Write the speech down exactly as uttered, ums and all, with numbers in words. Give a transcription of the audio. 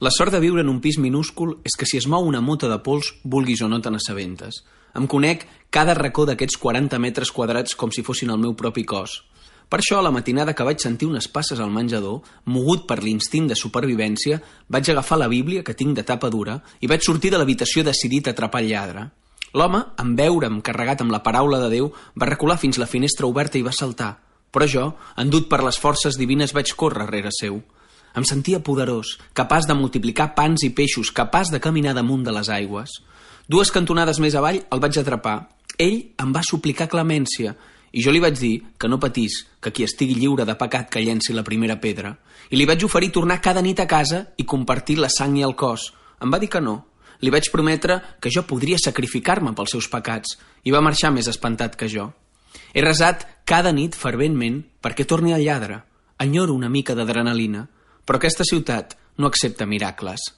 La sort de viure en un pis minúscul és que si es mou una mota de pols, vulguis o no te n'assabentes. Em conec cada racó d'aquests quaranta metres quadrats com si fossin el meu propi cos. Per això, a la matinada que vaig sentir unes passes al menjador, mogut per l'instint de supervivència, vaig agafar la Bíblia, que tinc de tapa dura, i vaig sortir de l'habitació decidit a atrapar el lladre. L'home, en veure'm carregat amb la paraula de Déu, va recular fins la finestra oberta i va saltar. Però jo, endut per les forces divines, vaig córrer rere seu. Em sentia poderós, capaç de multiplicar pans i peixos, capaç de caminar damunt de les aigües. Dues cantonades més avall el vaig atrapar. Ell em va suplicar clemència i jo li vaig dir que no patís, que qui estigui lliure de pecat que llenci la primera pedra. I li vaig oferir tornar cada nit a casa i compartir la sang i el cos. Em va dir que no. Li vaig prometre que jo podria sacrificar-me pels seus pecats i va marxar més espantat que jo. He resat cada nit ferventment perquè torni al lladre. Enyoro una mica d'adrenalina, però aquesta ciutat no accepta miracles.